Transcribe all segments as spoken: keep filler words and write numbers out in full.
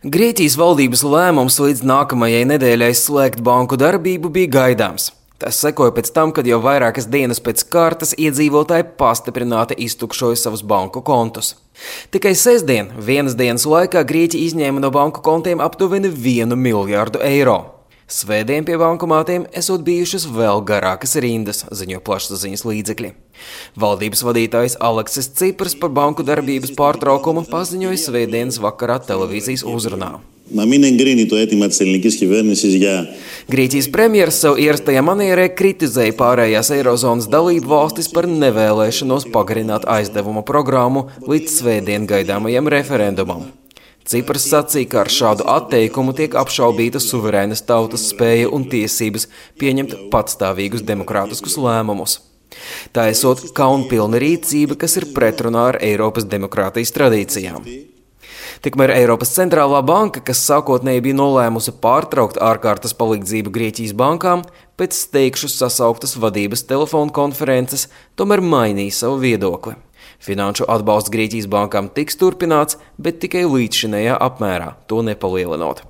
Grieķijas valdības lēmums līdz nākamajai nedēļai slēgt banku darbību bija gaidāms. Tas sekoja pēc tam, kad jau vairākas dienas pēc kārtas iedzīvotāji pastiprināti iztukšoja savus banku kontus. Tikai sestdien, vienas dienas laikā Grieķija izņēma no banku kontiem aptuveni vienu miljārdu eiro. Svētdien pie bankomātiem esot bijušas vēl garākas rindas, ziņo plašsaziņas līdzekļi. Valdības vadītājs Aleksis Cipras par banku darbības pārtraukumu paziņoja svētdienas vakarā televīzijas uzrunā. Grieķijas premjeras savu ierastajā manierē kritizēja pārējās Eirozonas dalību valstis par nevēlēšanos pagarināt aizdevuma programmu līdz svētdien gaidāmajam referendumam. Cipras sacīja, ka ar šādu atteikumu tiek apšaubīta suverēnas tautas spēja un tiesības pieņemt patstāvīgus demokrātiskus lēmumus. Tā esot kaunpilna rīcība, kas ir pretrunā ar Eiropas demokrātijas tradīcijām. Tikmēr Eiropas centrālā banka, kas sākotnēji bija nolēmusi pārtraukt ārkārtas palīdzību Grieķijas bankām, pēc steigšu sasauktas vadības telefonu konferences, tomēr mainīja savu viedokli. Finanšu atbalsts Grieķijas bankām tiks turpināts, bet tikai līdzšinējā apmērā, to nepalielinot.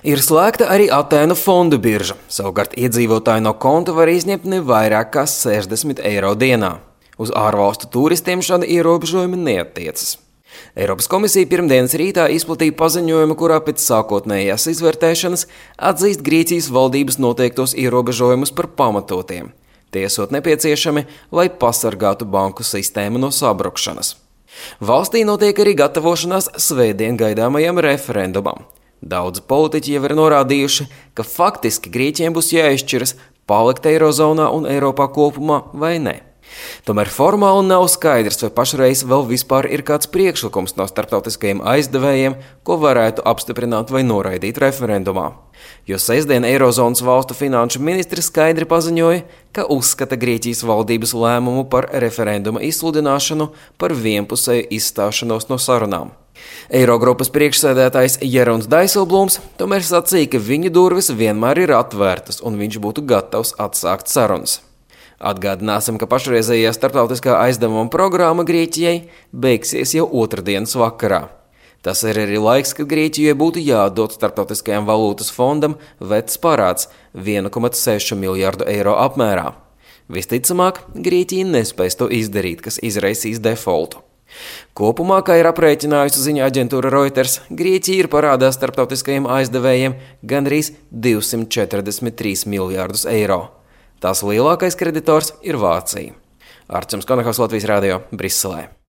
Ir slēgta arī Atēnu fondu birža, savukārt iedzīvotāji no konta var izņemt ne vairāk kā sešdesmit eiro dienā. Uz ārvalstu turistiem šādi ierobežojumi neattiecas. Eiropas komisija pirmdienas rītā izplatīja paziņojumu, kurā pēc sākotnējās izvērtēšanas atzīst Grieķijas valdības noteiktos ierobežojumus par pamatotiem. Tie esot nepieciešami, lai pasargātu banku sistēmu no sabrukšanas. Valstī notiek arī gatavošanās svētdien gaidāmajam referendumam. Daudzi politiķi jau ir norādījuši, ka faktiski Grieķiem būs jāizšķiras palikt Eirozonā un Eiropā kopumā vai ne. Tomēr formāli nav skaidrs, vai pašreiz vēl vispār ir kāds priekšlikums no starptautiskajiem aizdevējiem, ko varētu apstiprināt vai noraidīt referendumā. Jo sestdien Eirozonas valstu finanšu ministri skaidri paziņoja, ka uzskata Grieķijas valdības lēmumu par referenduma izsludināšanu par vienpusēju izstāšanos no sarunām. Eirogrupas priekšsēdētājs Jeroens Dijsselbloems tomēr sacīja, ka viņa durvis vienmēr ir atvērtas un viņš būtu gatavs atsākt sarunas. Atgādināsim, ka pašreizējā starptautiskā aizdevuma programma Grieķijai beigsies jau otrdienas vakarā. Tas ir arī laiks, kad Grieķijai būtu jāatdod starptautiskajam valūtas fondam vecs parāds viena komats seši miljārdu eiro apmērā. Visticamāk, Grieķija nespēs to izdarīt, kas izraisīs defoltu. Kopumā, kā ir aprēķinājusi ziņu aģentūra Reuters, Grieķija ir parādā starptautiskajiem aizdevējiem gandrīz divsimt četrdesmit trīs miljārdus eiro. Tās lielākais kreditors ir Vācija. Arčuns Konahaus, Latvijas radio, Briselē.